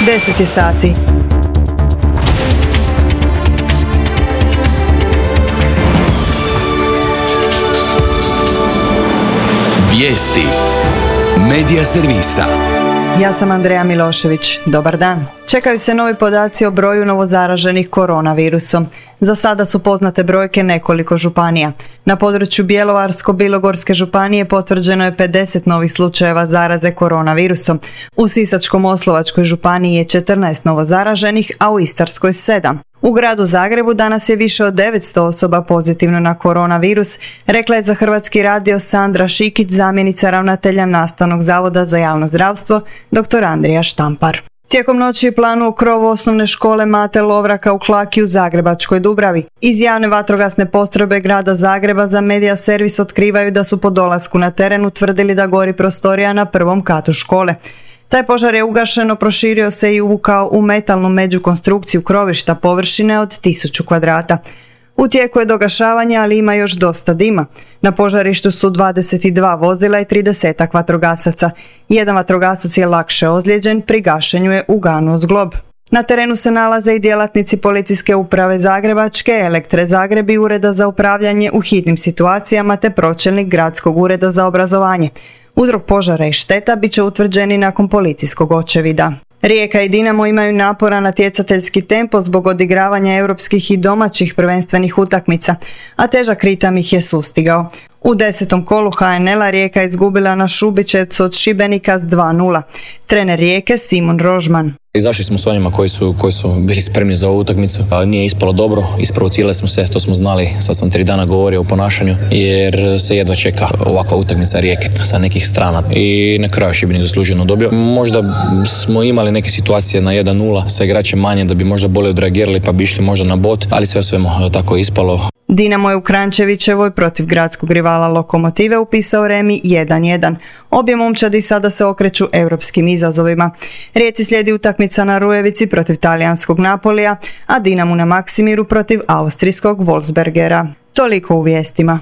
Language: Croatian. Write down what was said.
10 je sati. Vijesti Medija servisa. Ja sam Andreja Milošević. Dobar dan. Čekaju se novi podaci o broju novozaraženih koronavirusom. Za sada su poznate brojke nekoliko županija. Na području Bjelovarsko-bilogorske županije potvrđeno je 50 novih slučajeva zaraze koronavirusom. U Sisačko-moslavačkoj županiji je 14 novozaraženih, a u Istarskoj 7. U gradu Zagrebu danas je više od 900 osoba pozitivno na koronavirus, rekla je za Hrvatski radio Sandra Šikić, zamjenica ravnatelja Nastavnog zavoda za javno zdravstvo, dr. Andrija Štampar. Tijekom noći je planu u krovu osnovne škole Mate Lovraka u Klaki u Zagrebačkoj Dubravi. Iz javne vatrogasne postrojbe grada Zagreba za Medija servis otkrivaju da su po dolasku na teren utvrdili da gori prostorija na prvom katu škole. Taj požar je ugašeno, proširio se i uvukao u metalnu međukonstrukciju krovišta površine od 1000 kvadrata. U tijeku je dogašavanje, ali ima još dosta dima. Na požarištu su 22 vozila i 30 vatrogasaca. Jedan vatrogasac je lakše ozlijeđen, pri gašenju je uganuo zglob. Na terenu se nalaze i djelatnici Policijske uprave Zagrebačke, Elektre Zagreb i Ureda za upravljanje u hitnim situacijama te pročelnik Gradskog ureda za obrazovanje. Uzrok požara i šteta bit će utvrđeni nakon policijskog očevida. Rijeka i Dinamo imaju naporan natjecateljski tempo zbog odigravanja europskih i domaćih prvenstvenih utakmica, a težak ritam ih je sustigao. U 10. kolu HNL-a Rijeka je izgubila na Šubićevcu od Šibenika s 2:0. Trener Rijeke Simon Rožman. Izašli smo s onima koji su bili spremni za ovu utakmicu. Nije ispalo dobro, isprovocirali smo se, to smo znali, sad sam 3 dana govorio o ponašanju, jer se jedva čeka ovakva utakmica Rijeke sa nekih strana. I na kraju Šibenik zasluženo dobio. Možda smo imali neke situacije na 1:0 sa igračem manje da bi možda bolje odreagirali pa bi išli možda na bod, ali sve o svemu tako je ispalo. Dinamo je u Kranjčevićevoj protiv gradskog rivala Lokomotive upisao remi 1:1. Obje momčadi sada se okreću europskim izazovima. Rijeci slijedi utakmica na Rujevici protiv talijanskog Napolija, a Dinamu na Maksimiru protiv austrijskog Wolfsbergera. Toliko u vijestima.